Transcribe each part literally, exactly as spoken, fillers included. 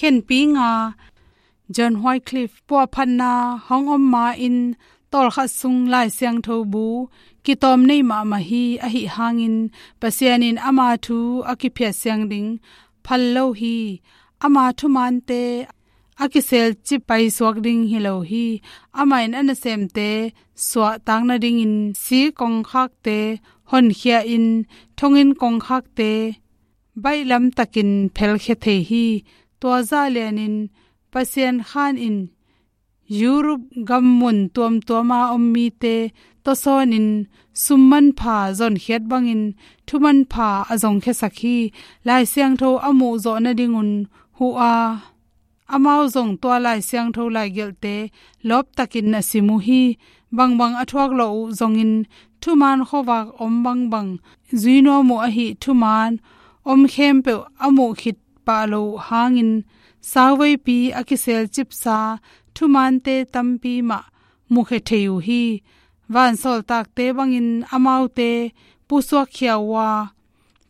Khenpi nga, John Wycliffe puahphatna hong om ma-in tawlkhat sung Lai Siangtho bu kitawm nei mahmah hi. Ahi hangin Pasian in ama thu a kiphiat siang ding phal lo hi. Ama thumaante a kiselcip paisuak ding hi lo hi. Amah in a nasemte suahtak nadingin sik kongkhakte honkhia-in thonginn kongkhakte baihlam takin phelkhia thei hi. Tua zah lianin Pasian khan in Europe gam mun tuamtuama om mite tawsawnin sum manpha zonkhiat bangin thu manpha a zongkhiasak hi. Lai Siangtho a muhzawh nadingun huh a, amau zong tua Lai Siangtho laigelhte lawptakin a sim uh hi. Bangbang a thuak lawh uh zongin thumaan khuavak om bangbang zui nuam uh ahi. Thumaan om khempeuh a muh khit pah loh hangin sauveipi a kiselcipsa thumaante tampi mah mukhia thei uh hi. Vansawltakte bangin amaute pusuakkhia uh a,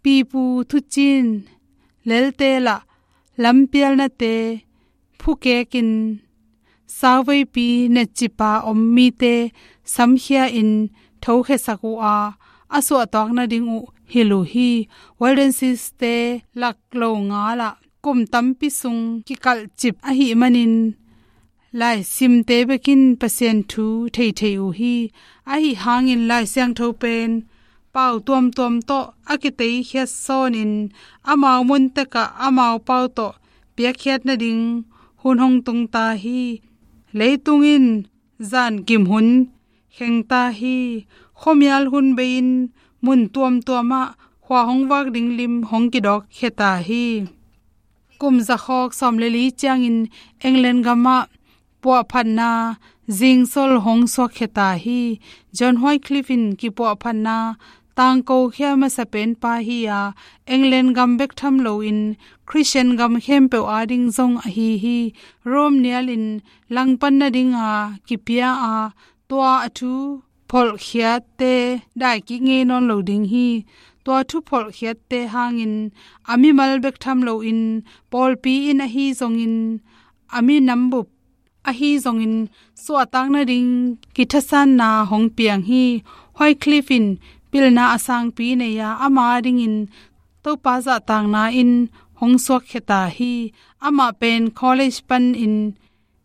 pipu thucin lelte lah lampialnate phukekin sauveipi netcipa om mite samkhia-in thokhiasak uh a, a suahtak nading uh hilh uh hi. Waldenses-te lak lo nga lah kum tampi sung kikalhcip ahih manin laisimte bekin Pasian thu thei thei uh hi. Ahi hangin Lai Siangtho pen pau tuamtuam tawh a kiteikhiat sawnin amau muntekah amau pau tawh piakkhiat nading hun hong tung ta hi. Leitung in zankim hun kheng ta hi. Khuamial hun bei-in mun tuamtuamah khua hong vak ding lim hong kidawkkhia ta hi. Kum zakhawk sawm le li ciangin England gamah puahphatna zingsol hong suakkhia ta hi. John Wycliffe in kipuahphatna tangkokhia masa penpa hi a, England gam bek tham loin Christian gam khempeuh ading zong ahi hi. Rome nialin langpan nadinga kipia a, tua a thu pholhkhiatte daikik ngei nawn lo ding hi. Tua thu pholhkhiatte hangin a mimal bek tham loin pawlpi in ahi zongin a minam bup ahi zongin suahtak nading kithasanna hong piang hi. Wycliffe in pilna a sangpi nei a, ama dingin Topa zahtakna in hong suakkhia ta hi. Amah pen college panin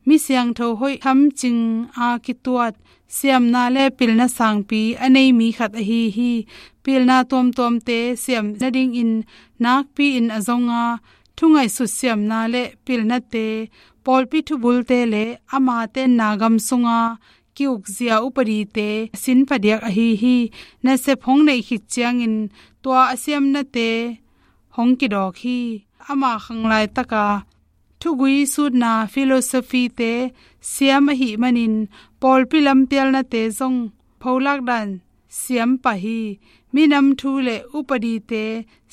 mi siangtho hoih khamcing a kituat siamna le pilna sangpi a nei mi khat ahi hi. Pilna tuamtuamte siam nadingin nakpi-in a zong a, thungaihsut siamna le pilnate, pawlpi thubulte le ama tenna gam sunga ki-ukzia upadite a sin phadiak ahi hi. Nasep hong neih khit ciangin tua a siamnate hong kidawk hi. Ama khanglaitaka thugui sutna philosophy-te siam ahih manin pawlpi lampialnate zong pholak dan siam pah hi. Minam thu le upadite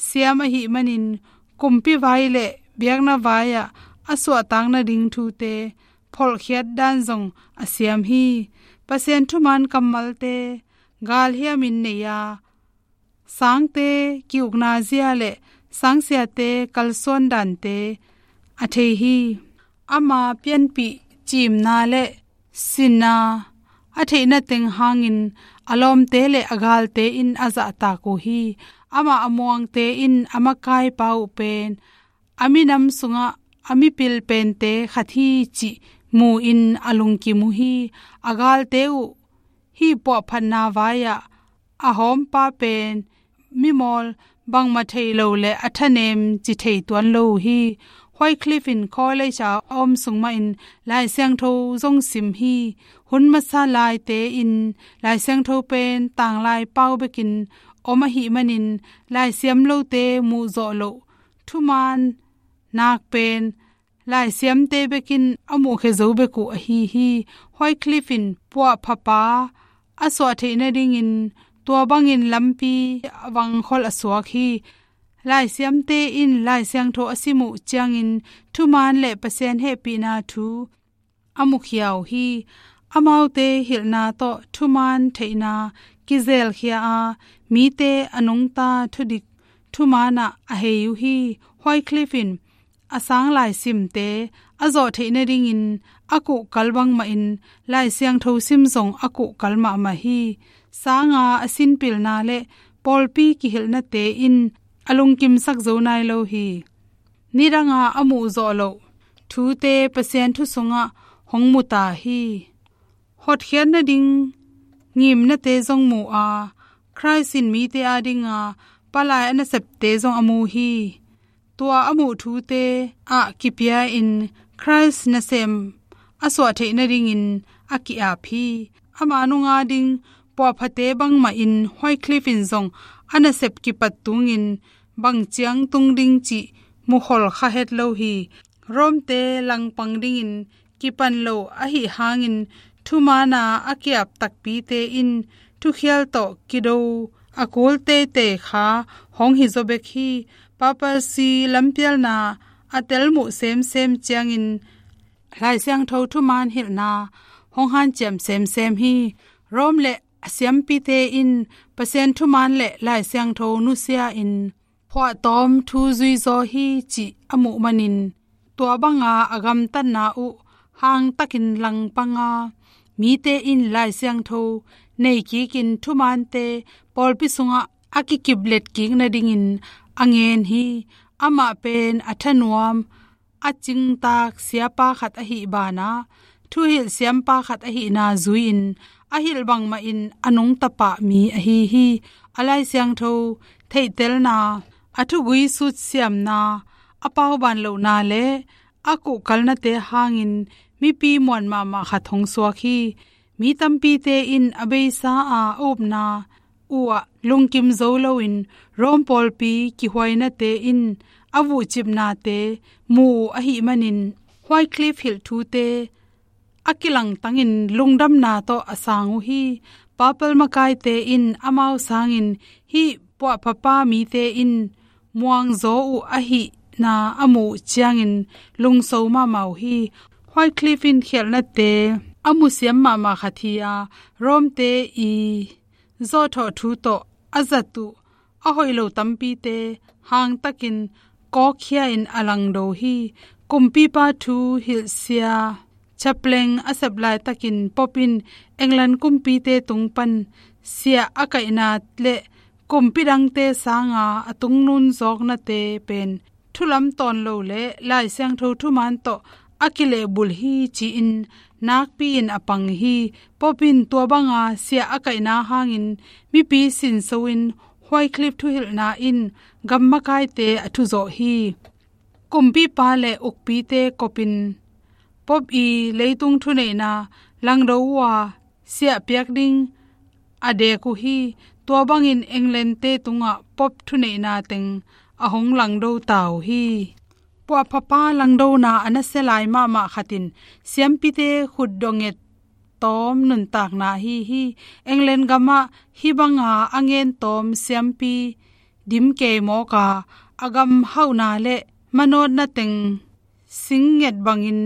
siam ahih manin kumpi vai le biakna vai-ah a suahtak nading thute pholhkhiat dan zong a siam hi. Pasian thuman kammalte galhiamin nei a, sangte ki-ukna zia le sangsiate kalsuan dante a thei hi. Ama pianpih ciimna le sinna a theihna teng hangin a lawmte le a galte in a zahtak uh hi. Amah a muangte in a makaipa uh pen a minam sungah a mipil pente khat hi cih mu-in a lungkim uh hi. A galte uh hih puahphatna vai-ah a hawmpa pen mimawl bangmah thei lo le a thanem ci thei tuan lo uh hi. Wycliffe in college a a om sung mahin Lai Siangtho zong sim hi. Hun masa laite in Lai Siangtho pen tanglai pau bekin om ahih manin laisiam lote muhzawh loh thuman nak pen laisiamte bekin a muhkhia zo bek uh ahi hi. Wycliffe in puahphapa a suah theih nadingin tua bangin lampi a vangkhol a suak hi. Laisiamte in Lai Siangtho a sim uh ciangin thuman le Pasian hehpihna thu a mukhia uh hi. Amaute hilhna tawh thuman theihna kizelkhia a, mite a nungta thudik thumanah a hei uh hi. Wycliffe in a sang lai simte a zawh theih nadingin a kuhkal bangmahin Lai Siangtho sim zong a kuhkal mahmah hi. Sanga a sinpilna le pawlpi kihilhnate in a lungkimsak zo nai lo hi. Nidanga a muhzawh loh thute Pasian thu sungah hong mu ta hi. Hotkhiat nading ngimnate zong mu a, Khrist in mite adinga palai a nasepte zong a mu hi. Tua a muh thute ah kipia-in Khrist nasem a suah theih nadingin a ki-ap hi. Ama nunga ding puahphate bangmahin Wycliffe in zong a nasep kipat tungin bang ciang tung ding cih mukhol kha het lo hi. Rome-te langpang dingin kipan lo ahi hangin thumaana a ki-ap takpite in thukhial tawh kido a kul teitei kha hong hi zaw bek hi. Papacy lampialna a telmuh semsem ciangin Lai Siangtho thumaan hilhna hong hanciam semsem hi. Rome le a siampite in Pasian thumaan le Lai Siangtho nusia-in phuahtawm thu zuizaw hi cih a muh manin tua banga a gamtatna uh hangtakin langpanga mite in Lai Siangtho nei kikin thumaante pawlpi sungah a kikiplet kik nadingin a ngen hi. Amah pen a thanuam a cingtak siapa khat ahi banah thuhilh siampa khat ahihna zui-in a hilh bangmahin a nungta pah mi ahi hi. A Lai Siangtho theihtelna, a thugui sutsiamna, a pauban lohna le a kuhkalnate hangin mipi muan mahmah khat hong suak hi. Mi tampite in a beisa a, a upna uhah lungkim zo loin Rome pawlpi kihuainate in a vuhcipnate mu uh ahih manin Wycliffe hilh thute a kilangtangin lungdamna tawh a sang uh hi. Papal makaite in amau sangin hih puahphapa mite in muangzaw uh ahihna a muh ciangin lungso mahmah uh hi. Wycliffe in khialhnate a musiam mahmah khat hi a, Rome-te i zawhthawh thu tawh a zat uh a hoih lo tampite hangtakin kawkkhia-in a langdo hi. Kumpipa thu hilhsia chapleng a sep laitakin Pope in England kumpite tung pan siah a kaihna le kumpi dangte sanga a tungnun zawknate pen thulam tawn lo le Lai Siangtho thumaan tawh a kilehbulh hi ci-in nakpi-in a pang hi. Pope in tua banga siah a kaihna hangin mipi sinso-in Wycliffe thuhilhna in gam makaite a thuzawh hi. Kumpipa le ukpite kopin Pope i leitung thuneihna langdo uh a siah piak ding a dek uh hi. Tua bangin England-te tungah Pope thuneihna teng a hong langdo ta uh hi. Puahphapa langdona a nasia lai mahmah khat in siampite khutdonget tawm nuntakna ahi hi. England gamah hih banga a ngen tawm siampi dim kei mawk a, a gam hauhna le manawtna teng sing nget bangin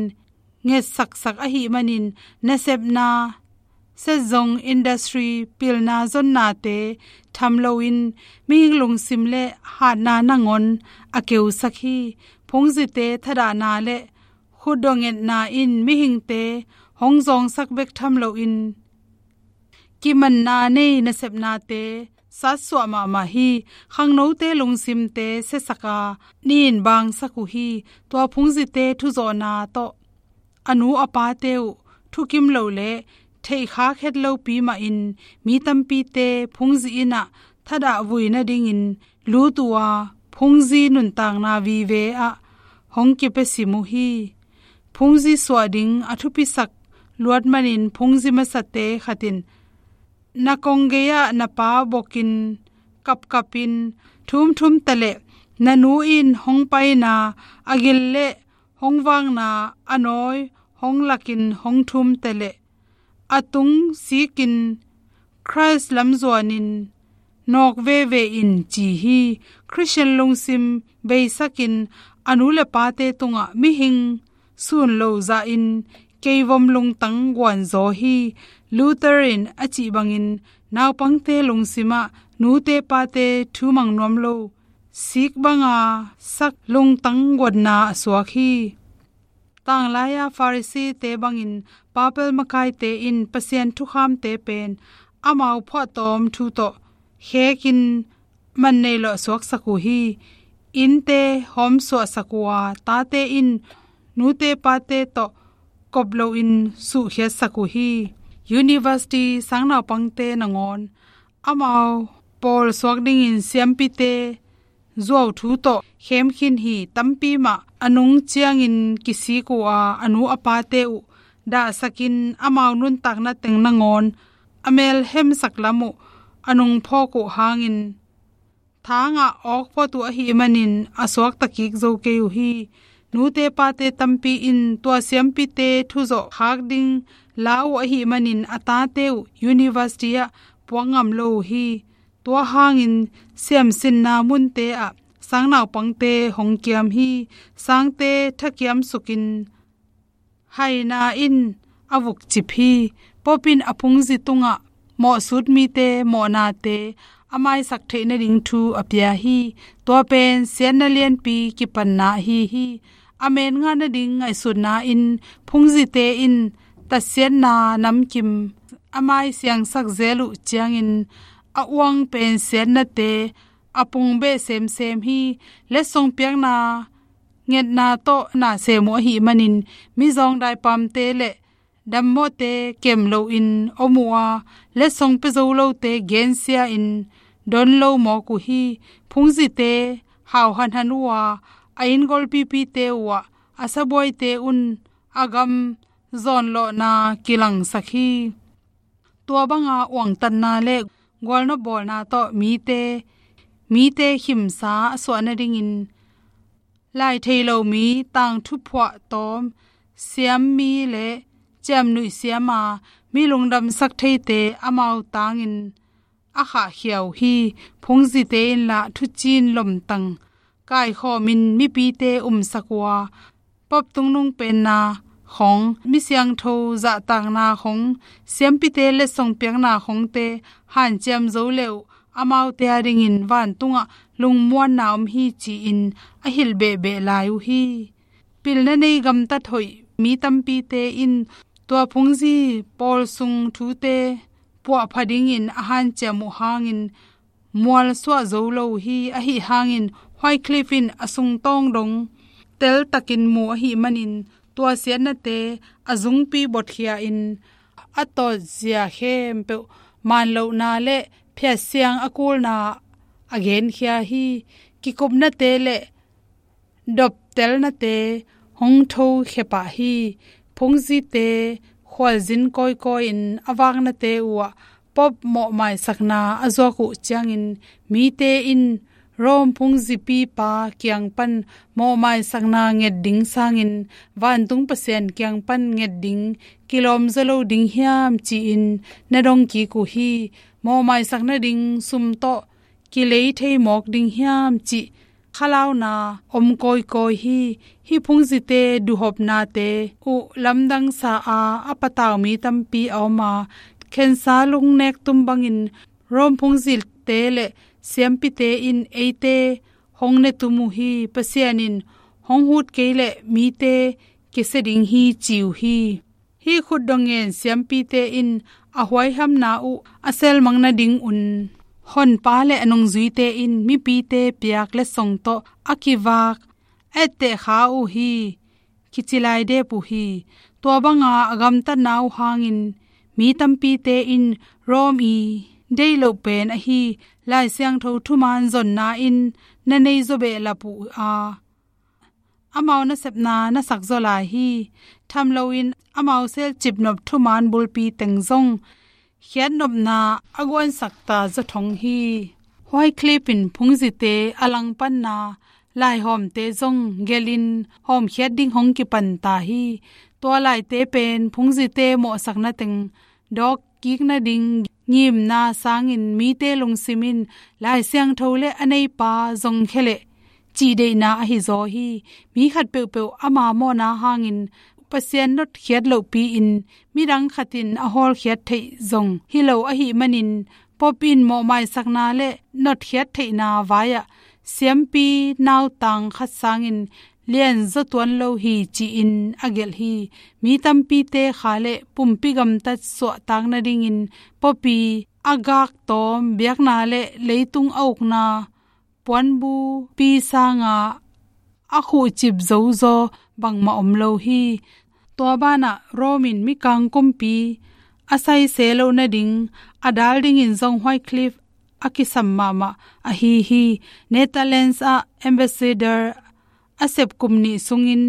ngetsaksak ahih manin nasepna, set zong industry pilna zonnate tham loin mihing lungsim le hatna nangawn a keusak hi. Phungzite thadahna le khutdongetna in mihingte hong zawngsak bek tham loin kimanna nei nasepnate satsuah mahmah hi. Khangnote lungsimte siasak a, nin bangsak uh hi. Tua phungzite thuzawhna tawh a nu a pate uh thukim lo le theihkhak het lopi mahin mi tampite phungzi innah thadah vui nadingin lut uh a, phungzi nuntakna vive ah hong kipia sim uh hi. Phungzi suah ding a thupisak luat manin phungzi masate khat in na kong gei-ah na pa bokin kapkapin thumthum taleh na nu in hong paina a gil le hong vakna a nawi hong lakin hong thum taleh a tung sikin Khrist lam zuanin nawk veve in ci hi. Khristian lungsim beisakin a nu le pate tungah mihing sun lo zahin keivom lungtang guanzaw hi. Luther in a cih bangin naupangte lungsimah nute pate thumang nuam lo sik banga sak lungtang guatna a suak hi. Tanglai-a Pharisee-te bangin papal makaite in Pasian thukhamte pen amau phuahtawm thu tawh khekin man nei lawh suaksak uh hi. Innte hawmsuahsak uh a, tate in nute pate tawh kop loin suhkhiatsak uh hi. University sangnaupangte nangawn amau pawl suak dingin siampite zuau thu tawh khem khin hi. Tampi mah a nung ciangin kisik uh a, a nu a pate uh dahsakin amau nuntakna teng nangawn a melhemsak lam uh a nungphawk uh hangin thangah awk phot uh ahih manin a suakta kik zo kei uh hi. Nute pate tampi in tua siampite thuzawh khak ding la uh ahih manin a tate uh university ah puak ngam lo uh hi. Tua hangin siamsinna munte ah sangnaupangte hong kiam hi. Sangte thakiam sukin haina in a vukcip hi. Pope in a phungzi tungah mawhsut mite mawhnate a maisak theih nading thu a pia hi. Tua pen siatna lianpi kipanna ahi hi. A men ngah nading ngaihsutna in phungzite in tatsiatna namkim a maisiangsak zel uh ciangin a uang pen siatnate a pungbeh semsem hi. Letsong piakna ngetna tawh na sem uh ahih manin mizawng daipamte le dammawhte kem loin om uh a, letsong pia zo lote gensia-in don lo mawk uh hi. Phungzite hau hanhan uh a, a inn golpipite uh ah a sabuaite un a gam zawnlawhna kilangsak hi. Tua banga uangtatna le gualnop bawlna tawh mite, mite khimsa a suah nadingin lai thei lo mi, tangthu phuahtawm siam mi le ciamnuih siama mi lungdamsak theite amau tangin a khahkhia uh hi. Phungzite in lah thuciin lomtang kaikhawmin mipite umsak uh a, Pope tungnung penna khong, mi siangtho zahtakna khong, siampite letsong piakna khongte hanciam zo le uh amaute adingin vantungah lungmuanna om hi ci-in a hilh behbeh lai uh hi. Pilna nei gamtat hoih mi tampite in tua phungzi pawl sung thute puahpha dingin a hanciam uh hangin mualsuah zo lo uh hi. Ahi hangin Wycliffe in a sungtawng dong teltakin mu ahih manin tua siatnate a zungpi botkhia-in a tawtzia khempeuh manlohna le phiatsiang a kulna a genkhia hi. Kikupnate le doptelnate hong thokhia pah hi. Phungzite khualzin kawikawi-in a vaknate uh ah Pope mawhmaisakna a zuak uh ciangin mite in Rome phungzipipa kiang pan mawhmaisakna nget ding sangin vantung Pasian kiang pan nget ding kilawm zaw lo ding hiam ci-in na dong kik uh hi. Mawhmaisak nading sum tawh kilei thei mawk ding hiam cih khalauna om kawikawi hi. Hih phungzite duhhopnate uh lamdangsa a, a patau mi tampi a om a, khensa lungnek tum bangin Rome phungzite le siampite in eite hong ne tum uh hi. Pasian in hong hut kei leh mite kisia ding hi ci uh hi. Hih khutdong ngen siampite in a huaihamna uh a selmang nadingun Honpa le a nungzuite in mipite piak letsong tawh a kivak a etteh kha uh hi. Kici lai dep uh hi. Tua banga a gamtatna uh hangin mi tampite in Rome i deih loh pen ahi Lai Siangtho thuman zonna in na nei zaw behlap uh a, amau nasepna na sak zaw lai hi. Tham loin amau selcip nop thuman bulpi teng zong khiatnopna a guansak ta zaw thong hi. Wycliffe in phungzite a langpanna laihawmte zong gelhin hawmkhiat ding hong kipan ta hi. Tua laite pen phungzite mawhsakna teng dawk kik nading ngimna sangin mite lungsim in Lai Siangtho le a neipa zong khia leh cih deihna ahi zaw hi. Mi khat peuhpeuh ama mawhna hangin Pasian notkhiat lohpi-in midang khat in a hawlkhiat theih zong hi lo ahih manin Pope in mawhmaisakna le notkhiat theihna vai-ah siampi nautang khat sangin lianzaw tuan lo hi ci-in a gelh hi. Mi tampite kha le pumpi gamtat suahtak nadingin Pope i a gak tawm biakna le leitung a ukna puanbupi sanga a khuhcip zozaw bangmah om lo hi. Tua banah Rome in mikang kumpi a saise loh nading a dal dingin zong Wycliffe a kisam mahmah ahi hi. Netherlands ah ambassador a sep kum nih sungin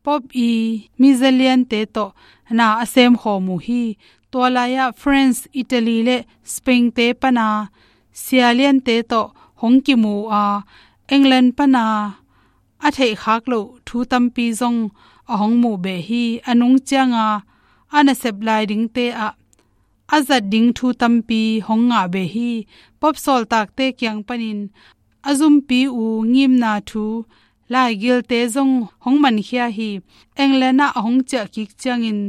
Pope i mizaliante tawh na a semkhawm uh hi. Tua lai-ah France, Italy le Spain-te pana sialiante tawh hong kimu a, England pana a theihkhak loh thu tampi zong a hong muh beh hi. A nung cianga a nasep lai dingte ah a zat ding thu tampi hong ngah beh hi. Pope sawltakte kiang panin a zumpi uh ngimna thu laigilte zong hong mankhia hi. England ah a hong ciah kik ciangin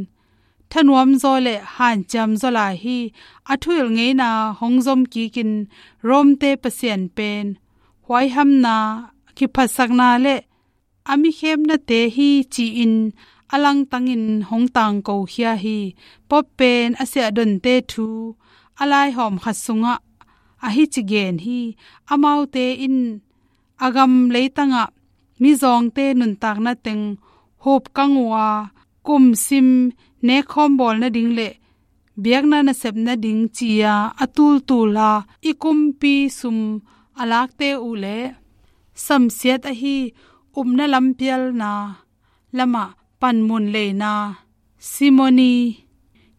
thanuam zaw le hanciam zaw lai hi. A thuhilh ngeina hong zom kikin Rome-te Pasian pen huaihamna, kiphatsakna le a mikhemnate hi ci-in a langtangin hong tangkokhia hi. Pope pen a siahdonte thu a laihawm khat sungah a hici gen hi. Amaute in a gam leitangah mizawngte nuntakna teng hupkang uh a, kumsim nekkhawm bawl nading le biakna nasep nading ci-a a tultul a, i kumpi sum a lakte uh le samsiat ahi upna lampialna lamah panmun leina simony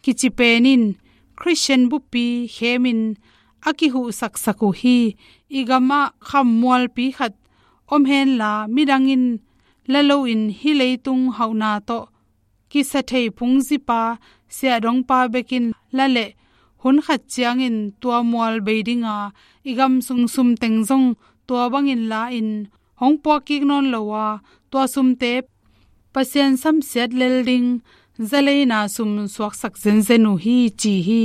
kici pen in Khristian buppi khemin a kihuhsaksak uh hi. I gamah khammualpi khat om henla, midang in la loin hih leitung hauhna tawh kisa thei phungzipa, siahdongpa bekin la leh hun khat ciangin tua mual bei dinga, i gam sung sumteng zong tua bangin la-in hong puak kik nawn lo a, tua sumte Pasian samsiat lel ding zaleina sum suaksak zenzen uh hi ci hi.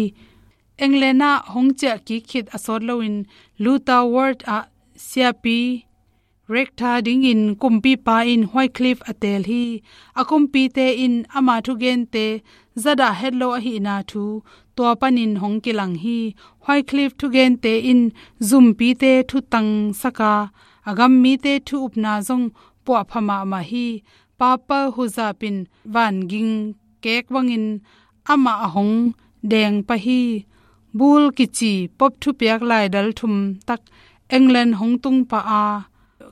England ah hong ciah kik khit a sawt loin Luther Ward ah siapi Rector dingin kumpipa in Wycliffe a teel hi. A kumpite in ama thugente zadah het lo ahihna thu tua panin hong kilang hi. Wycliffe thugente in zumpite thutangsak a, a gammite thu upna zong puahpha mahmah hi. Papal huzap in vanging kek bangin amah a hong deng pah hi. Bull kici Pope thupiak laidal thum tak England hong tung pah a,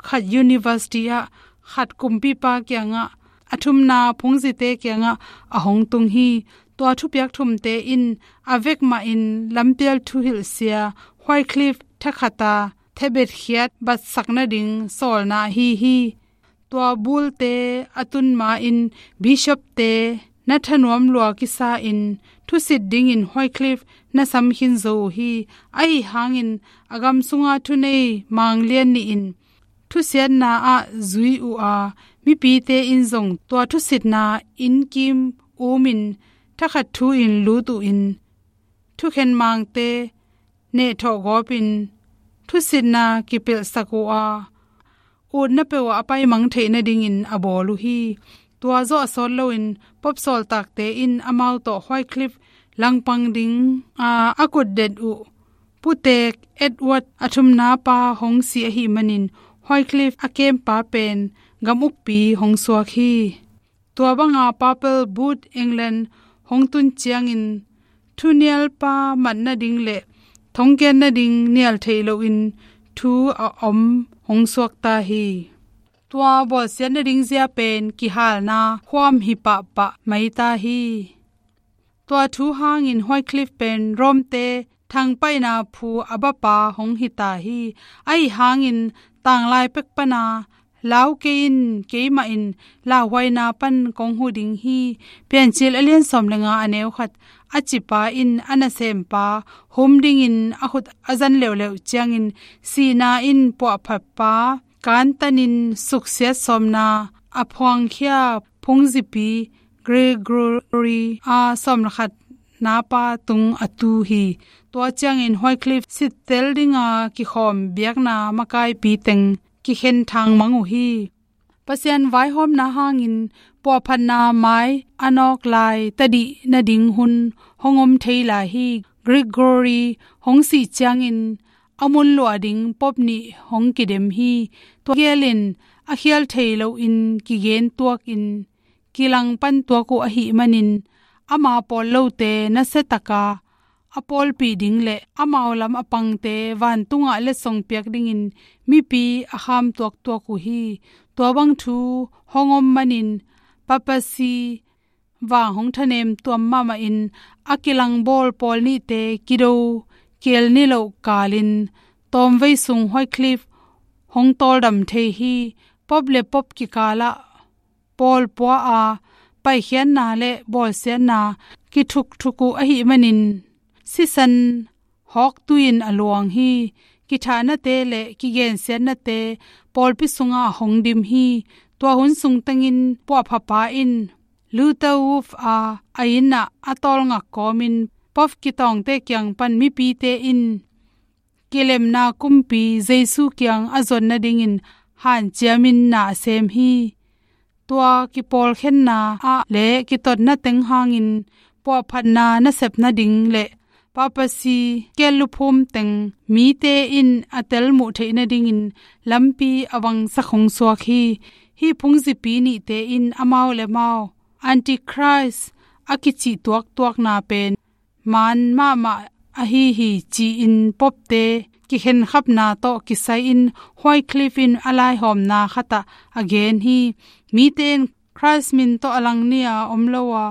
khat university ah, khat kumpipa kiangah, a thumna phungzite kiangah a hong tung hi. Tua thupiak thumte in a vek mahin lampial thuhilhsia Wycliffe thakhat a thebet khiat batsak nading sawlna ahi hi. Tua bullte a tun ma-in bishopte na thanuam lua kisa-in thusit dingin Wycliffe na sam khin zo uh hi. Ahi hangin a gam sunga thunei manglian nih in thusiatna ah zui uh a, mipite in zong tua thusitna inn kim umin thakhat thu-in lut uh in thukhen mangte nehthawh gawpin thusitna kipelhsak uh a, utna peuh ah a paimang theih nadingin a bawl uh hi. Tua zawh a sawt loin Pope sawltakte in amau tawh Wycliffe langpang ding a, a kutdet uh putek Edward a thumna pa hong si ahih manin Wycliffe a kempa pen gam ukpi hong suak hi. Tua banga Papal Bull England hong tun ciangin thunialpa mat nading le thongkiat nading nial theih loin thu a om hong suakta hi. Tua bawlsiat nading zia pen kihalna khuam hi pahpah maita hi. Tua thu hangin Wycliffe pen Rome-te thangpaihna phu a bapa hong hita hi. Ahi hangin tanglai pek pana lau kei in, keimah in lauhuaina pan kong hu ding hi. Piancil a lian sawm le nga a neu khat a cipa in a nasempa hum dingin a khut a zan leuleu ciangin sihna in puahphatpa kantanin suksiat sawmna a phuangkhia phungzipi Gregory a sawm le khat napa tung a tu hi. Tua ciangin Wycliffe sittel dinga kikhawm biakna makaipi teng kikhen thangmang uh hi. Pasian vaihawmna hangin puahphatna mai a nawk lai tadih nading hun hong om thei lai hi. Gregory hong sih ciangin a mun luah ding pope nih hong kidem hi. Tua gelin a khial thei loin kigen tuakin kilang pan tuak uh ahih manin ama pawl lote nasia taka a pawlpih ding le amau lam a pangte vantungah letsong piak dingin mipi a kham tuaktuak uh hi. Tua bang thu hong om manin papacy vang hong thanem tuam mahmahin a kilangbawl pawl nihte kido kiel niloh kalin tawmvei sung Wycliffe hong tawldam thei hi. Pope le pope kikalah pawl pua a paikhiatna le bawlsiatna kithukthuk uh ahih manin sisan hawk tuin a luang hi. Kithahnate le kigensiatnate pawlpi sungah hong dim hi. Tua hun sung tengin puahphapa in Luther Wolf a a innah a tawlngak kawmin pope kitawngte kiang pan mipite in kilemna kumpi Jesu kiang a zuat nadingin hanciamin na a sem hi. Tua kipawlkhenna ah le kitotna teng hangin puahphatna nasep nading le papacy kelluphum teng mite in a telmuh theih nadingin lampi a vangsak hong suak hi. Hih phungzipi nihte in amau le mau Antichrist a kicih tuaktuakna pen maan mahmah ahi hi ci-in popte kikhenkhapna tawh kisai-in Wycliffe in a laihawmna khatah a gen hi. Mite in Christ min tawh a lang ni-a om lo a,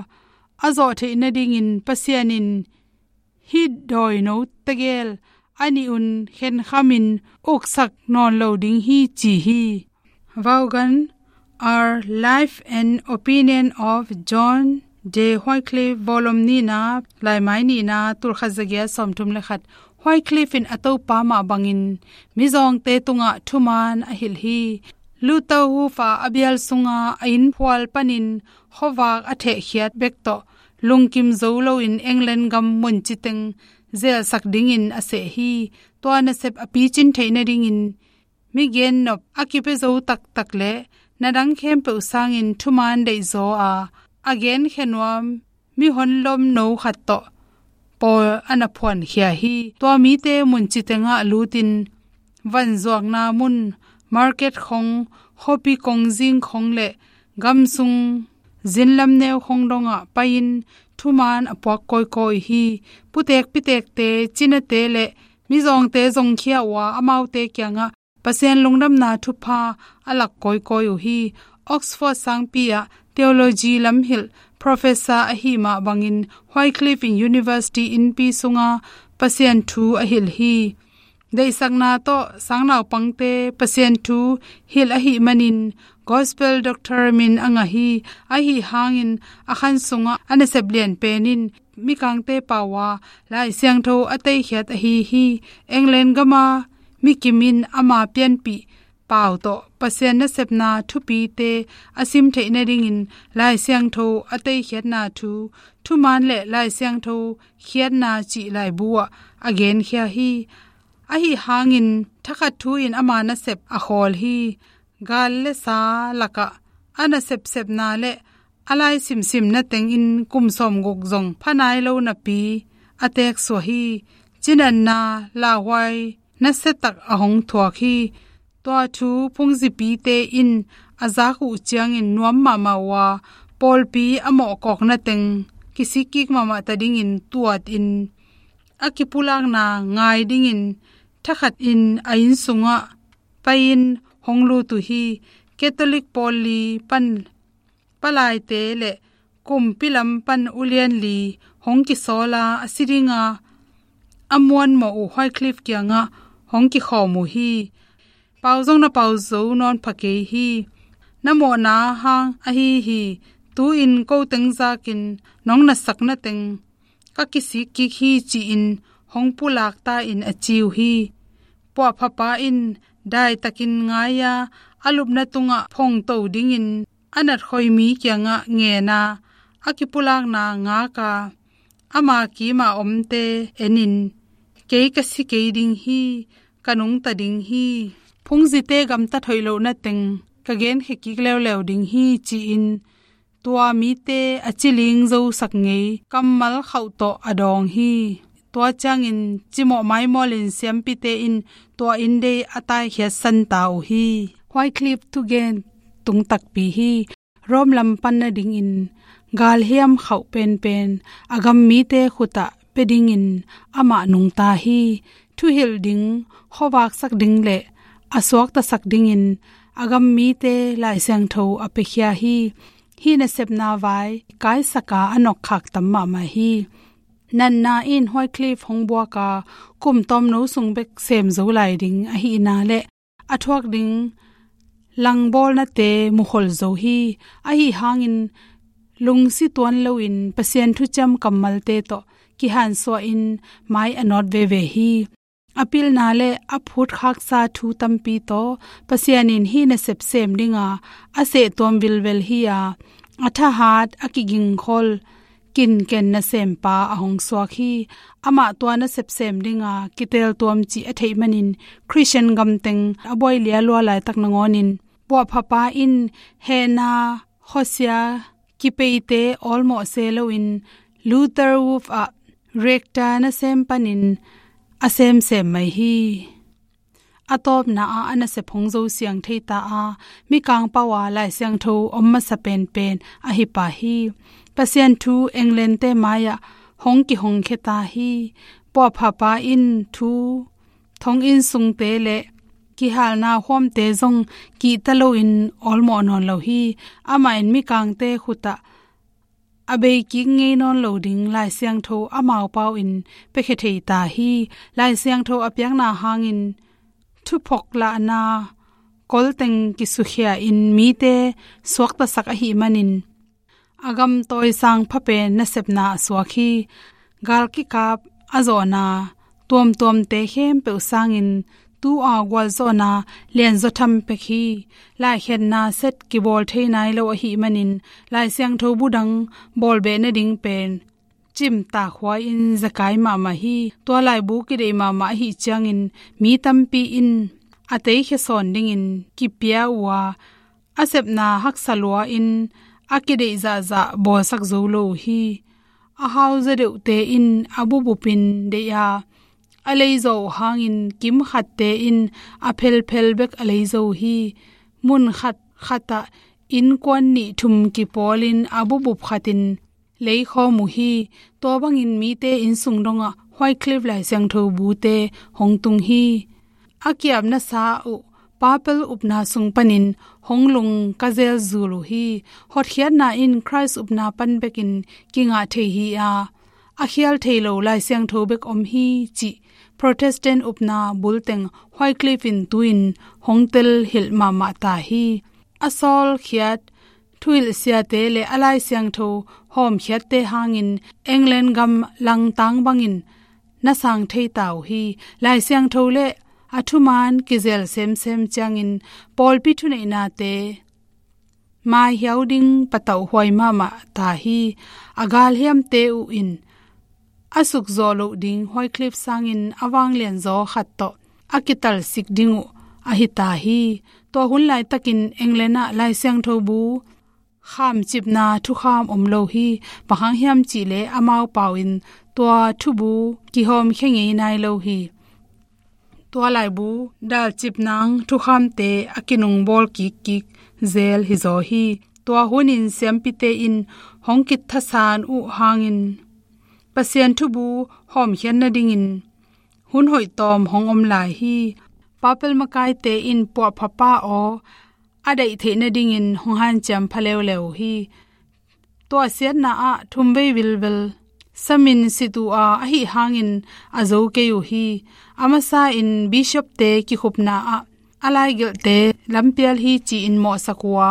a zawh theih nadingin Pasian in hih dawino tegel a nih un khenkhamin uksak nawn lo ding hi ci hi. Vaughan, Our Life and Opinion of John J. Wycliffe, volume nihna, laimai nihna, tulkhat zagiat sawmthum le khat. Wycliffe in a Topa mah bangin mizawngte tungah thuman a hilh hi. Luther Wolf a bial sunga a inn phual panin khuavak a thehkhiat bek tawh lungkim zo loin England gam munci teng zelsak dingin a seh hi. Tua nasep a picin theih nadingin migennop a kipia zo taktak le na dang khempeuh sangin thuman deihzaw a, a genkhia nuam mihon lomno khat tawh pawl a na phuankhia hi. Tua mite munci tengah lutin vanzuakna mun, market khong, khuapi kongzing khong le gamsung zinlam neu khong dongah pai-in thuman a puak kawikawi hi. Putek pitekte, cinate le mizawngte zongkhia uh a, amaute kiangah Pasian lungdamna thupha a lak kawikawi uh hi. Oxford sangpi ah theology lamhilh professor ahih mah bangin Wycliffe in university innpi sunga Pasian thu a hilh hi. Deihsakna tawh sangnaupangte Pasian thu hilh ahih manin gospel doctor min a ngah hi. Ahi hangin a khan sungah a nasep lian pen in mikangte pau a Lai Siangtho a teikhiat ahi hi. England gama mikim in ama pianpih pau tawh Pasian nasepna thupite a sim theih nadingin Lai Siangtho a teikhiatna thu, thuman le Lai Siangtho khiatna cih laibu ah a genkhia hi. Ahi hangin thakhat thu in ama nasep a khawl hi. Gal le sa lakah a nasepsepna le a lai simsimna tengin kum sawmguk zong pha nai lo napi a teeksuah hi. Cinatna lauhuai nasiatak a hong thuak hi. Tua thu phungzipite in a zak uh ciangin nuam mahmah uh a, pawlpi a mawhkawkna teng kisikkik mahmah ta dingin tuatin a kipulakna ngai dingin thakhatin a inn sungah pai-in hong lut uh hi. Catholic pawl li pan palaite le kumpi lam pan ulian li hong kisawla a si dinga a muanmawh uh Wycliffe kiangah hong kikhawm uh hi. Pau zong na pau zo nawn pha kei hi. Na mawhna hang ahi hi. Tu-in ko teng zakin nong nasakna teng ka kisikkik hi ci-in hong pulak ta in a ci uh hi. Puahphapa in daitakin ngai-a a lupna tungah phongto dingin a natkhoimi kiangah ngen a, a kipulakna ngak a, ama kima omte enin, kei ka si kei ding hi, ka nungta ding hi. Phungzite gamtat hoih lohna teng ka genkhia kik leuleu ding hi, ci-in tua mite a ciling zosak ngei kammal khauh tawh a dawng hi. Tua ciangin cimawh maimawlin siampite in tua inndei a taikhiat santa uh hi. Wycliffe thugen tung takpi hi. Rome lam pan nadingin galhiam khauh penpen a gam mite khutah pia dingin amah nungta hi. Thuhilh ding, khuavaksak ding le a suaktasak dingin a gam mite Lai Siangtho a piakhia hi. Hih nasepna vai kaisaka a nokkhak tam mahmah hi. Natna in Wycliffe hong buaka kum tawmno sung bek sem zo lai ding ahihna le a thuak ding langbawlnate mukhol zo hi. Ahi hangin lungsi tuan loin Pasian thuciam kammalte tawh kihansuahin mai a nawt veve hi. A pilna le a phutkhaksa thu tampi tawh Pasian in hih nasep sem dinga a sehtuam vilvel hi-a, a thahat a kigingkhol kinken nasempa a hong suak hi. Amah tua nasep sem dinga kiteltuam cih a theih manin Khristian gamteng a buai lialua laitak nangawnin puahphapa in hehna khuasia kipeite awlmawh se loin Luther Wolf ah Rector nasem panin a semsem mai hi. A tawpna ah a nasep hong zo siang thei ta a, mikang pau a Lai Siangtho om masa penpen ahi pa hi. Pasian thu England-te mai-ah hong kihongkhia ta hi. Puahphapa in thu thonginn sungte le kihalna huamte zong kihta loin awlmawh nawn lo hi. Amah in mikangte khutah a beikik ngei nawn lo ding Lai Siangtho amau pau in piakhia thei ta hi. Lai Siangtho a piakna hangin thuphawk lahna kolteng kisukhia in mite suaktasak ahih manin a gamtawi sang phapen nasepna a suak hi. Gal kikap a zawhna tuamtuamte khempeuh sangin tu-a gualzawhna lianzaw tham pek hi. Laikhiatna set kibawl thei nai lo ahih manin Lai Siangtho bu dang bawlbeh nading pen cimtak huai-in zekai mahmah hi. Tua laibu kideih mahmah ahih ciangin mi tampi in a teikhia sawn dingin kipia uh a, a sepna haksa lua-in a kideih zahzah bawlsak zo lo uh hi. A hauza deuhte in a bubupin deih a, a leizaw uh hangin kimkhatte in a phelphel bek a leizaw uh hi. Mun khatkhatah innkuan nih thum kipawlin a bubup khatin leikhawm uh hi. Tua bangin mite innsung dongah Wycliffe Lai Siangtho bute hong tung hi. A kiapna sa uh papal upna sung panin hong lungka zelzul uh hi. Hotkhiatna in Khrist upna pan bekin kingah thei hi-a, a khial thei lo Lai Siangtho bek om hi cih Protestant upna bulteng Wycliffe in tu-in hong telhilh mahmah ta hi. A sawlkhiat thuhilhsiate le a Lai Siangtho hawmkhiatte hangin England gam langtang bangin na sang thei ta uh hi. Lai Siangtho le a thuman kizel semsem ciangin pawlpi thuneihnate maihiau ding patauh huai mahmah ta hi. A galhiamte uh in a sukzawh loh ding Wycliffe sangin a vanglianzaw khat tawh a kitalsik ding uh ahi ta hi. Tua hun laitakin England ah Lai Siangtho bu khamcipna thukham om lo hi. Bang hang hiam cihleh amau pau in tua thubu kihawmkhia ngei nai lo hi. Tua laibu dalcipnang thukhamte a kinungbawl kikkik zel hizaw hi. Tua hunin siampite in hong kithasan uh hangin Pasian thubu hawmkhiat nadingin hun hoihtawm hong om lai hi. Papal makaite in puahphapa aw a daih theih nadingin hong hanciam pha leuleu uh hi. Tua siatna ah thumvei vilvel samin sit uh a, ahi hangin a zo kei uh hi. A masa in bishopte kikhupna ah a laigelhte lampial hi ci-in mawhsak uh a,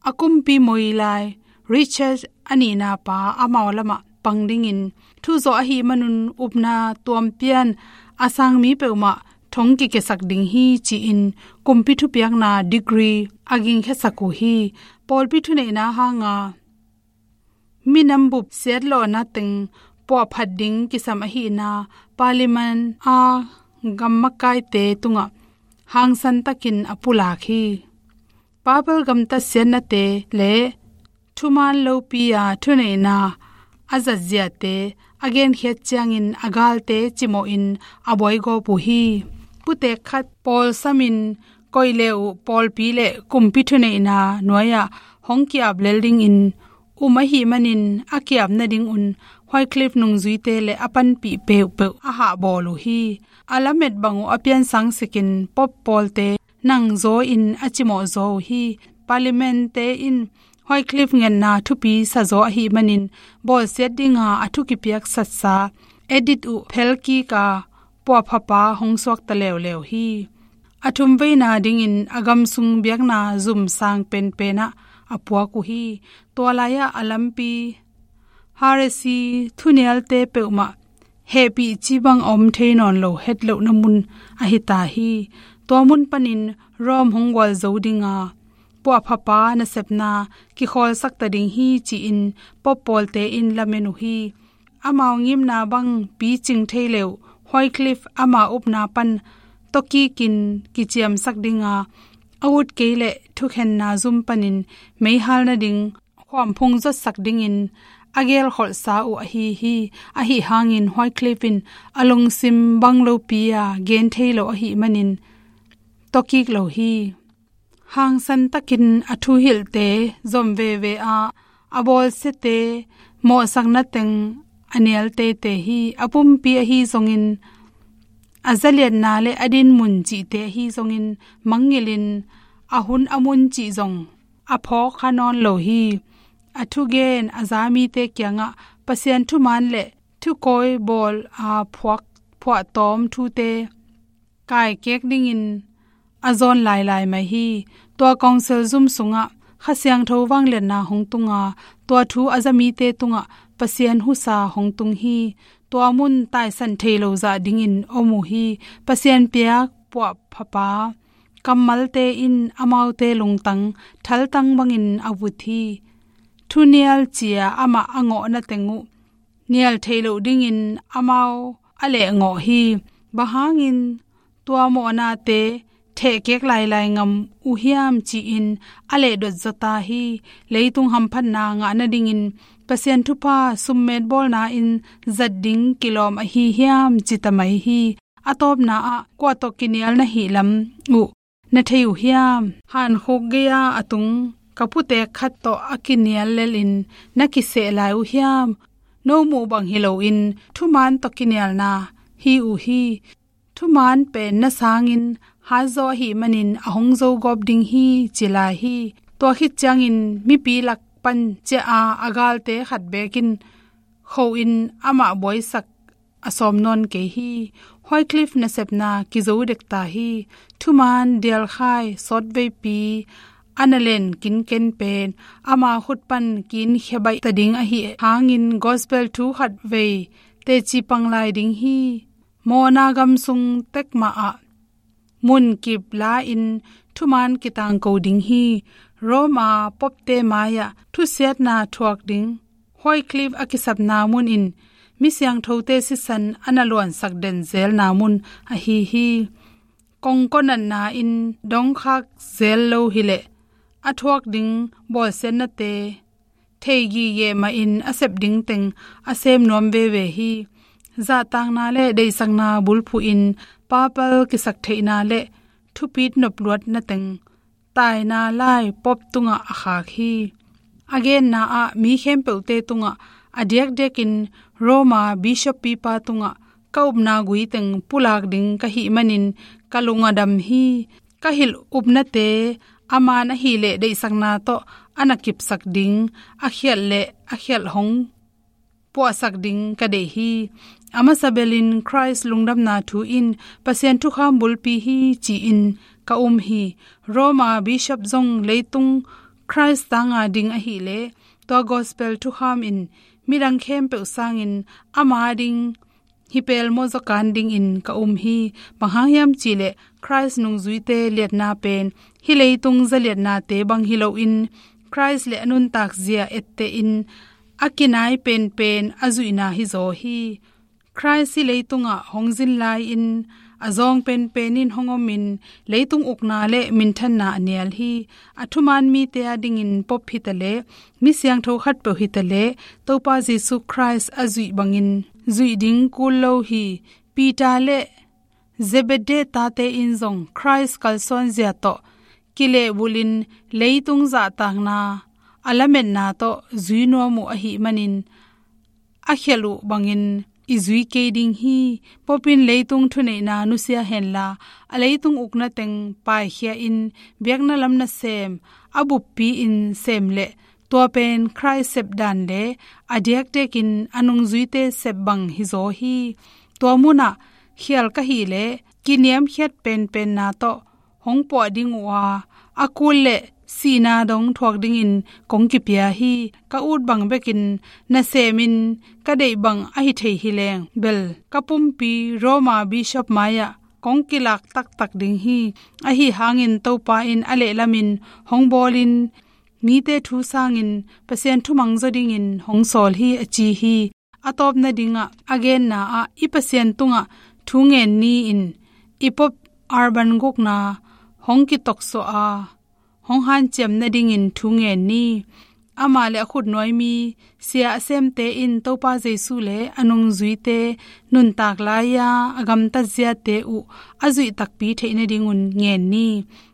a kumpi moi lai Richard a nihna pa amau lamah pang dingin thuzawh ahih manun upna tuampian a sangmi peuhmah thong kikiasak ding hi ci-in kumpi thupiakna degree a gingkhiasak uh hi. Pawlpi thuneihna hanga minam bup siatlawhna teng puahphat ding kisam ahihna Parliament a gam makaite tungah hangsan takin a pulak hi. Papal gamtat siatnate le thuman lopi-a thuneihna a zatziate a genkhiat ciangin a galte cimawhin a buaigawp uh hi. Putek khat pawlsamin koih le uh pawlpi le kumpi thuneihna nuai-ah hong ki-ap lel dingin um ahih manin a ki-ap nadingun Wycliffe nungzuite le a panpih peuhpeuh a hahbawl uh hi. A lamet bang uh a piansang sikin Pope pawlte nangzaw in a cimawh zaw uh hi. Parliament-te in Wycliffe ngetna thupi sazaw ahih manin bawlsiat dinga a thu kipiak satsa edit uh phelkika puahphapa hong suakta leuleu hi. A thumveina dingin a gamsung biakna zum sang penpenah a puak uh hi. Tua lai-ah a lampi heresy thunialte peuhmah hehpih cibang a om thei nawn lo hetlohna mun ahi ta hi. Tua mun panin Rome hong gualzo dinga puahphapa nasepna kikhawlsakta ding hi ci-in Pope pawlte in lamen uh hi. Amau ngimna bang picing thei le uh Wycliffe ama upna pan tawkikin kiciamsak dinga a ut kei leh thukhenna zum panin meihal nading khuamphung zotsak dingin a gelkholhsa uh ahi hi. Ahi hangin Wycliffe in a lungsim bang lopi-a gen thei lo ahih manin tawkik lo hi. Hangsan takin a thuhilhte zom veve a, a bawlsiate mawhsakna teng a nial teitei hi. A pumpi ahi zongin, a zaliatna le a dinmun cihte ahi zongin mangngilhin a hun a mun cih zong a phawk kha nawn lo hi. A thugen a za mite kiangah Pasian thuman le thukawi bawl a phuak phuahtawm thute kaikek dingin a zawn lailai mai hi. Tua council zum sungah Kha Siangtho vangliatna hong tunga, tua thu a za mite tungah Pasian husa hong tung hi. Tua mun taisan thei lo zah dingin om uh hi. Pasian piak puahphapa kammalte in amaute lungtang thaltang bangin a vut hi. Thunial cia amah a ngawhna teng uh nial thei loh dingin amau a lehngawh hi. Bang hangin tua mawhnate thehkek lailai ngam uh hiam ci-in a lehdot zata hi. Leitung hamphatna ngah nadingin Pasian thupha summet bawlna in zat ding kilawm ahi hiam cita mai hi. A tawpna ah kua tawh kinial na hih lam uh na thei uh hiam? Hankhuk gei-a a tung ka putek khat tawh a kinial lelin na kiseh lai uh hiam? No muh bang hi loin thuman tawh kinialna hi uh hi. Thuman pen na sangin hatzaw ahih manin a hong zogawp ding hi ci lai hi. Tua khit ciangin mipi lak pan ciah a, a galte khat bekin khoin amah buaisak a sawm nawn kei hi. Wycliffe nasepna kizo dek ta hi. Thuman dialkhai sawtveipi a na len kinken pen ama khut pan kinkhia baih ta ding ahi hangin gospel thu khatvei teci pang lai ding hi. Mawhna gam sung tek mah ah munkip la-in thuman kitangko ding hi. Roma popte mai-ah thusiatna thuak ding Wycliffe a kisapna mun in mi siangthote sisan a na luansak den zelna mun ahi hi. Kongkaw natna in dongkhak zel lo hileh a thuak ding bawlsiatnate thei gige mahin a sep ding teng a sem nuam veve hi. Zahtakna le deihsakna bulphuhin papal kisaktheihna le thupit nopluatna teng taina lai pop tungah a khak hi. A genna ah mi khempeuhte tungah a diakdiakin Roma bishop pipa tungah ka upna gui teng pulak ding ka hih manin ka lung a dam hi. Ka hilh upnate a man ahileh deihsakna tawh a na kipsak ding a khialh le a khialh hong puahsak ding ka deih hi. A masa belin Khrist lungdamna thu in Pasian thukham bulpi hi ci-in ka um hi. Roma bishop zong leitung Khrist tanga ding ahileh tua gospel thukham in midang khempeuh sangin ama ding hi pelmaw zaw kan dingin ka um hi. Bang hang hiam cihleh Khrist nungzuite liatna pen hih leitung zaliatnate bang hi loin Khrist le a nuntak zia ettehin a kinai penpen a zuihna hizaw hi. Khrist hih leitungah hong zin lai-in a zawng penpen in hong omin leitung ukna le minthanna a nial hi. A thuman mite a dingin Pope hitaleh, mi siangtho khatpeuh hitaleh, Topa Jesu Khrist a zuih bangin zuih ding kul lo hi. Peter le Zebedee tate in zong Khrist kalsuanzia tawh kilehbulhin leitung zahtakna a lametna tawh zui nuam uh ahih manin, a khialh uh bangin i zui kei ding hi. Pope in leitung thuneihna nusia henla, a leitung ukna teng paikhia in biakna lam nasem a buppi in sem leh, tua pen Khrist sepdan le a diakdiakin a nungzuite sep bang hizaw hi. Tua munah khial ka hih leh kiniamkhiat penpenna tawh hong puah ding uh a, a kul le sihna dong thuak dingin kong kipia hi. Ka ut bang bekin nasemin ka deih bang ahi thei hileng bel, ka pumpi Roma Bishop mai-ah kong kilak taktak ding hi. Ahi hangin Topa in a lehlamin hong bawlin mite thu sangin Pasian thumang zaw dingin hong sawl hi, a ci hi. A tawpna dingah a genna ah, i Pasian tungah thu ngen ni-in i Pope Urban gukna hong kitoksuah a, hong hanciam nadingin thu ngen ni. Amah le a khutnuai mi sia a semte in Topa Jesu le a nungzuite nuntak lai-a a gamtat ziate uh a zuih takpi theih nadingun ngen ni.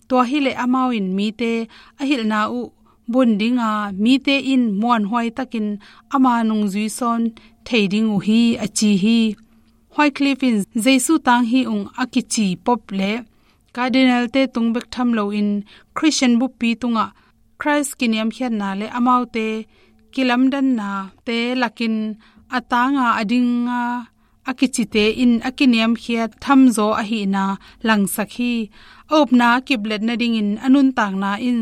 Tua hileh amau in mite a hilhna uh bun dinga, mite in muanhuai takin ama nungzui sawn thei ding uh hi, a ci hi. Wycliffe in Jesu tang hi ung a kici Pope le Cardinal-te tung bek tham loin Christian buppi tungah Khrist kiniamkhiatna le amaute kilamdannate lakin a tanga a dinga a kicite in a kiniamkhiat thamzaw ahihna langsak hi. A upna a kiplet nadingin a nuntakna in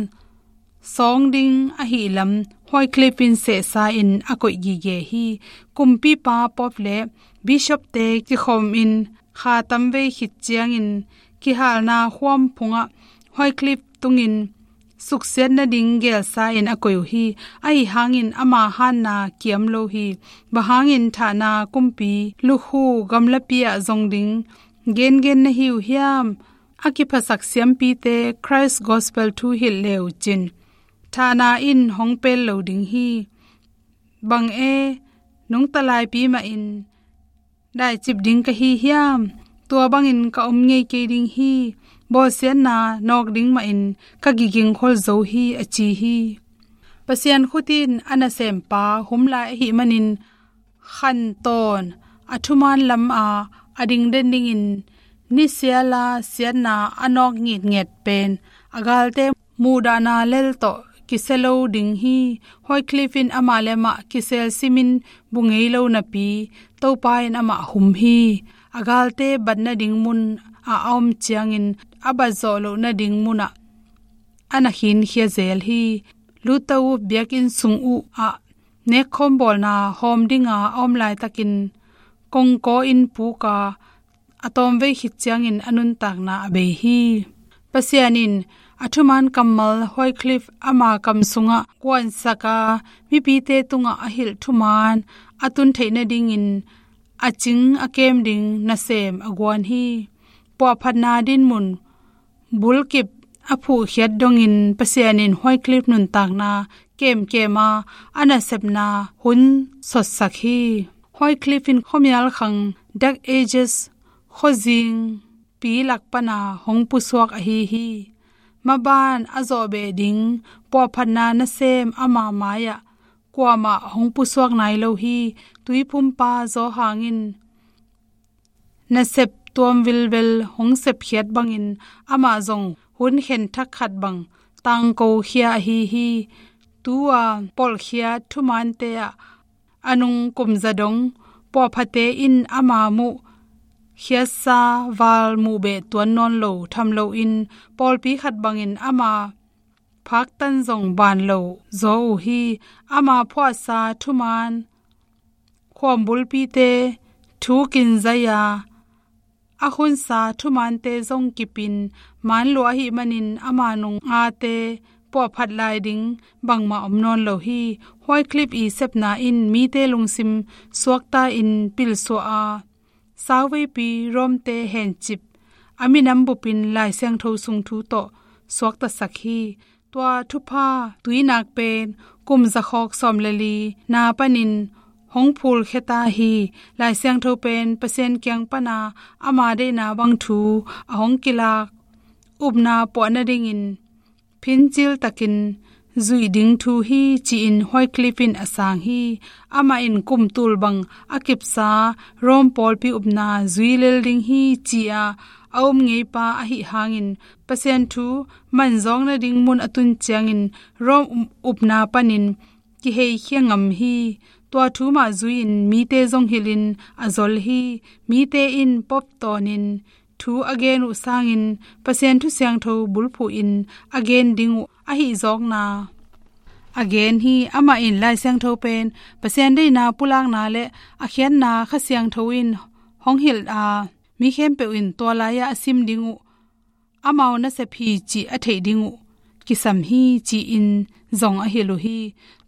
sawng ding ahi lam Wycliffe in sehsa in a koih gige hi. Kumpipa Pope le Bishop-te kikhawmin kha tamvei khit ciangin kihalna huam phungah Wycliffe tungin suksiat nading gelsa in a koih uh hi. Ahi hangin ama hanna kiam lo hi. Bang hangin thahna kumpi lukhu gamlapi ah zong ding gengen na hi uh hiam? A kiphasak siampite Khrist gospel thu hilh le uh cin, thahna in hong pel lo ding hi. Bang e, nungta laipi mahin daicip ding ka hi hiam? Tua bangin ka om ngei kei ding hi. Bawlsiatna nawk ding mahin ka kigingkhol zo hi, a ci hi. Pasian khut in a nasempa hum lai ahih manin khantawn a thuman lama a dingden dingin nisiala siatna a nawk ngitnget pen a galte muhdahna lel tawh kisia lo ding hi. Wycliffe in amah le amah kisel simin bu ngei lo napi Topa in amah hum hi. A galte bat nading mun a a om ciangin a bat zawh loh nading munah a na khinkhia zel hi. Luther uh biakinn sung uh ah nekkhawm bawlna hawm dinga a om laitakin kongkaw in puka a tawmvei khit ciangin a nuntakna a bei hi. Pasian in a thuman kammal Wycliffe ama kam sungah kuansaka mipite tungah a hilh thuman a tun theih nadingin a cing a kem ding nasem a guan hi. Puahphatna dinmun bulkip a phuhkhiat dongin Pasian in Wycliffe nuntakna kemkema a nasepna hun sotsak hi. Wycliffe in khuamial khang Dark Ages khuazing pi lak pana hong pusuak ahi hi. Maban a zawhbeh ding puahphatna nasem ama mai-ah kuamah hong pusuak nai lo hi. Tuiphumpa Johan in nasep tuam vilvel hong sepkhiat bangin amah zong hun khenthak khat bang tangkokhia ahi hi. Tu-a polhkhiat thumante ah a nung kumza dong puahphate in ama muh khiatsa val muhbeh tuan nawn lo tham loin pawlpi khat bangin ama phaktan zong ban lo zaw uh hi. Ama phuahsa thuman khuambulpite thukin zai-a a khunsa thumante zong kipin man lua ahih manin ama nung ate puahphat lai ding bangmah om nawn lo hi. Wycliffe i sepna in mite lungsim suakta in pilsuah a, sauveipi Rome-te hencip a minam bupin Lai Siangtho sung thu tawh suaktasak hi. Tua thupha tuinak pen kum zakhawk sawm le li na panin hong phulkhia ta hi. Lai Siangtho pen Pasian kiang pana ama deihna bang thu a hong kilak upna puah nadingin phincil takin zuih ding thu hi ci-in Wycliffe in a sang hi. Amah in kum tul bang a kipsa Rome pawlpi upna zui lel ding hi ci-a a um ngeipa ahih hangin Pasian thu manzawng nading mun a tun ciangin Rome upna panin kiheikhia ngam hi. Tua thu mah zui-in mite zong hilhin a zol hi. Mite in Pope tawnin thu a gen uh sangin Pasian thu siangtho bulphuhin a gen ding uh ahi zawkna a gen hi. Amah in Lai Siangtho pen Pasian deihna pulakna le a khiatna Kha Siangtho in hong hilh a, mi khempeuh in tua lai-ah a sim ding uh amau nasep hi cih a theih ding uh kisam hi ci-in zong a hilh uh hi.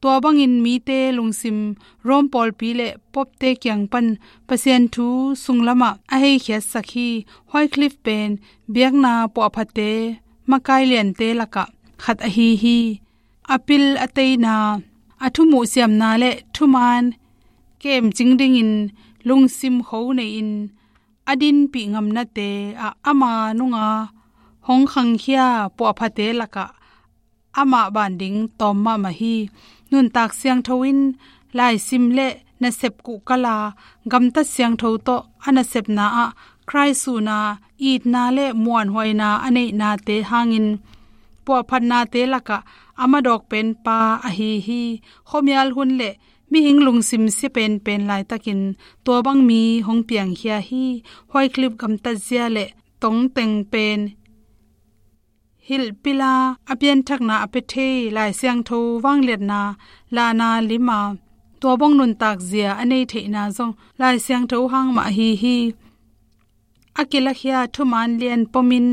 Tua bangin mite lungsim Rome pawlpi le Pope-te kiang pan Pasian thu sunglamah a heikhiatsak hi. Wycliffe pen biakna puahphate makai liante lakah khat ahi hi. A pil a teina, a thumuh siamna le thumaan kemcing dingin lungsim kho nei-in a dinpih ngamnate ah ama nunga hong khangkhia puahphate lakah amah ban ding tawm mahmah hi. Nuntak siangtho in laisim le nasep kuhkala gamtat siangtho tawh a nasepna ah Khrih suhna, itna le muanhuaina a neihnate hangin puahphatnate lakah a madawk penpa ahi hi. Khuamial hun le mihing lungsim sia penpen laitakin tua bang mi hong piangkhia hi. Wycliffe gamtatzia le tongteng pen hilhpila a pianthakna a pia thei Lai Siangtho vangliatna lahna lima tua bang nuntakzia a nei theihna zong Lai Siangtho hang mah ahi hi. A kilakhia thumaan lian pomin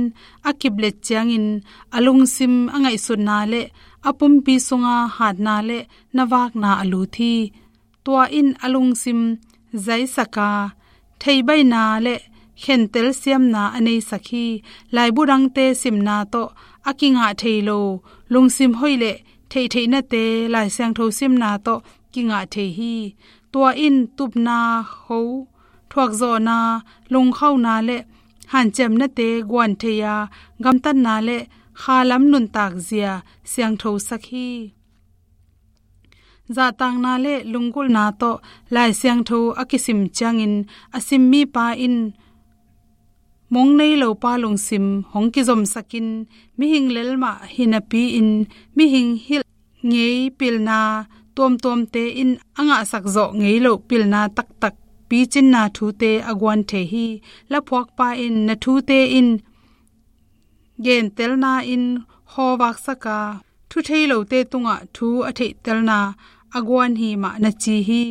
a kiplet ciangin a lungsim a ngaihsutna le a pumpi sunga hatna le navakna a lut hi. Tua in a lungsim zaisaka, theibaina le khentel siamna a neisak hi. Laibu dangte simna tawh a kingah thei lo lungsim hoih le theihtheihnate Lai Siangtho simna tawh kingah thei hi. Tua in tupna ho, thuakzawhna, lungkhauna le hanciamnate guan thei-a gamtatna le khalam nuntakzia siangthosak hi. Zahtakna le lunggulhna tawh Lai Siangtho a kisim ciangin a sim mipa in mong nei lopa lungsim hong kizomsakin mihing lelmah hi napi-in mihing hilh ngei pilna tuamtuamte in a ngahsak zawh ngei loh pilna taktak picinna thute a guan thei hi. Laphuakpa in na thute in gentelna in hawvaksaka, thu thei lote tungah thu a theihtelna a guan hi mah na ci hi.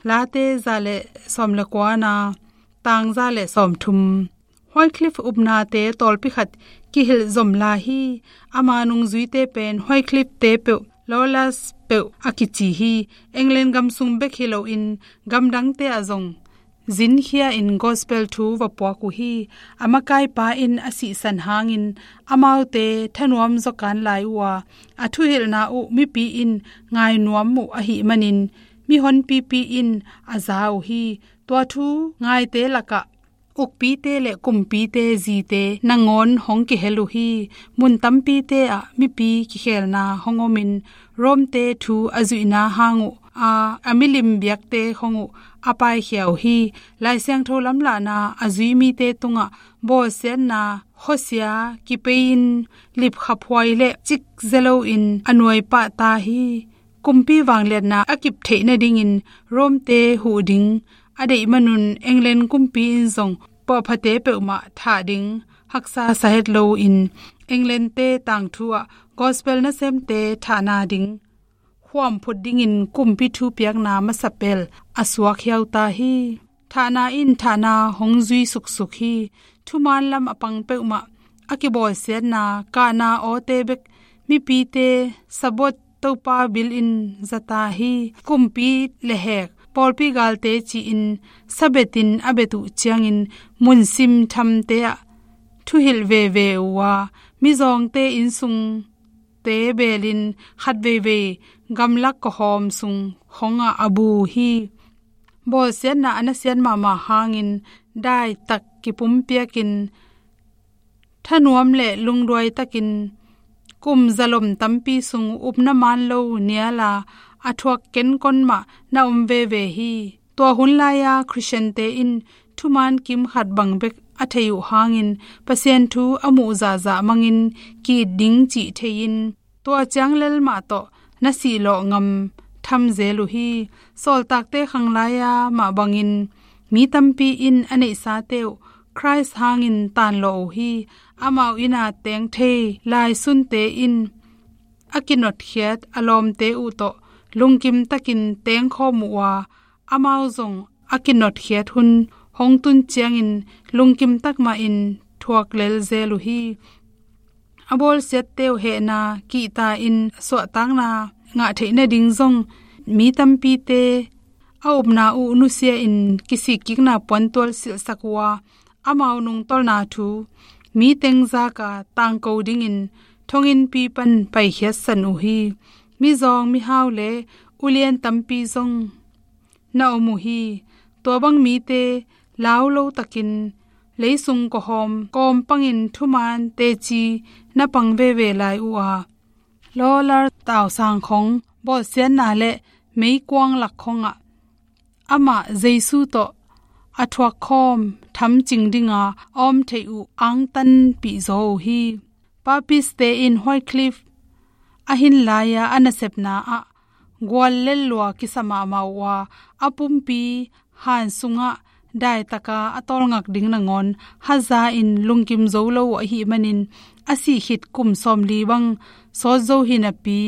Late za le sawm le kuana, tang za le sawm thum. Wycliffe upnate tawlpi khat kihilh zomla hi. Ama nungzuite pen Wycliffe-te peuh, Loyola peuh a kici hi. England gam sung bek hi loin gamdangte ah zong zinkhia in gospel thu va puak uh hi. A makaipa in a sihsan hangin amaute thanuam zawkan lai uh a, a thuhilhna uh mipi in ngainuam uh ahih manin mihonpipi in a za uh hi. Tua thu ngaite lakah ukpite le kumpite zite nangawn hong kihel uh hi. Mun tampite ah mipi kikhelna hong omin Rome-te thu a zuihna hang uh a, a milim biakte khong uh a paikhia uh hi. Lai Siangtho lamlahna a zui mite tungah bawlsiatna khuasia kipei-in lipkhaphuai le cikzia loin a nuaipah ta hi. Kumpi vangliatna a kip theih nadingin Rome-te huh ding a deih manun England kumpi in zong puahphate peuhmah thah ding haksa sahet loin England-te tangthu ah gospel nasemte thahna ding khuam phut dingin kumpi thupiakna masapel a suak hiauta hi. Thahna in thahna hong zui suksuk hi. Thumaan lam a pang peuhmah a kibawlsiatna kahna awte bek mipite Sabbath Topa bil in zata hi. Kumpi lehhek pawlpi galte ci-in Sabbath in a bet uh ciangin munsim thamte ah thuhilh veve uh a, mizawngte innsungte beelin khatveivei gamlak kawhawm sung khongah a bu hi. Bawlsiatna a nasiat mahmah hangin daitak kipumpiakin thanuam le lungduai takin kum zalom tampi sung upna man lo niala a thuak kenkon mah na om veve hi. Tua hun lai-a Khristiante in thuman kim khat bang bek a thei uh hangin Pasian thu a muh zahzah mangin ki-it ding cih thei-in tua ciang lel mah tawh na sihlawh ngam tham zel uh hi. Sawltakte khanglai-a mah bangin mi tampi in a neihsate uh Khrist hangin tanlawh uh hi. Amau ina teng thei laisunte in a kinotkhiat a lawmte uh tawh lungkim takin tengkhawm uh a, amau zong a kinotkhiat hun hong tun ciangin lungkim tak mahin thuak lel zel uh hi. A bawlsiatte uh hehna kihta in suahtakna ngah theih nading zong mi tampite a upna uh nusia-in kisikkikna puantual silhsak uh a, amau nungtolna thu mi teng zaka tangko dingin thonginnpi pan paikhiatsan uh hi. Mizawng mihau le ulian tampi zong na om uh hi. Tua bang mite lau lo takin leisung kawhawm kawm pangin thuman teci na pang veve lai uh a, Lawlar tausang khong bawlsiatna le meikuang lak khongah amah Jesu tawh a thuakkhawm thamcing dinga a om theih uh angtanpih zaw uh hi. Papiste in Wycliffe a hin lai-a a nasepna ah guallel lua kisa mahmah uh a, a pumpi han sungah daitaka a tawlngak ding nangawn haza in lungkim zo lo uh ahih manin a sih khit kum sawmli bang sawt zo hi napi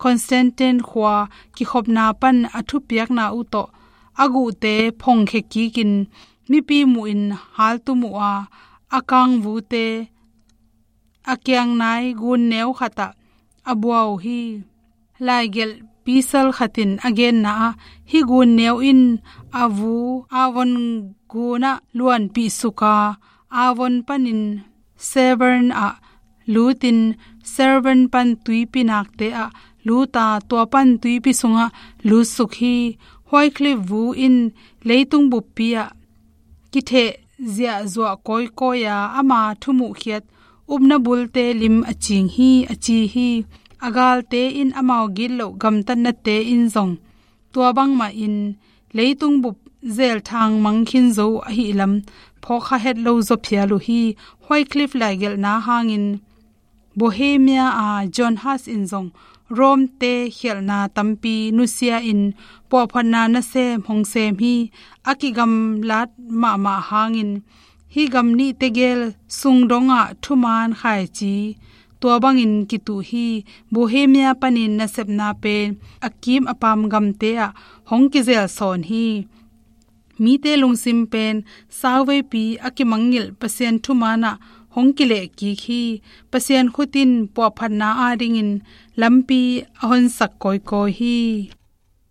Constantine khua kikhopna pan a thupiakna uh tawh a guhte phongkhia kikin mipi muhin haltum uh a, a kangvute a kiangnai gun neu khatah a bua uh hi. Laigelh pisal khatin a genna ah hih gun neu in a vu Avon gunah luanpih suk a, Avon panin Severn ah lutin Severn pan tuipi nakte ah luta tua pan tuipi sungah lutsuk hi. Wycliffe vu in leitung buppi ah kitheh ziahzuah kawikawi a ama thumuhkhiat upna bulte lim a cing hi a ci hi. A galte in amau gitloh gamtatnate in zong tua bangmahin leitung bup zelthang mangkhin zo ahihlam phawkkha het lo zaw phial uh hi. Wycliffe laigelhna hangin Bohemia a John Huss in zong Rome-te khialhna tampi nusia in puahphatna nasem hong sem hi. A kigamlat mahmah hangin hih gam nih tegel sungdongah thuman khaici tua bangin kituh hi. Bohemia panin nasepna pen a kim a pam gamte ah hong kizel sawn hi. Mite lungsim pen sauveipi a kimangngilh Pasian thumanah hong kilehkik hi. Pasian khut in puahphatna adingin lampi a honsak kawikawi hi.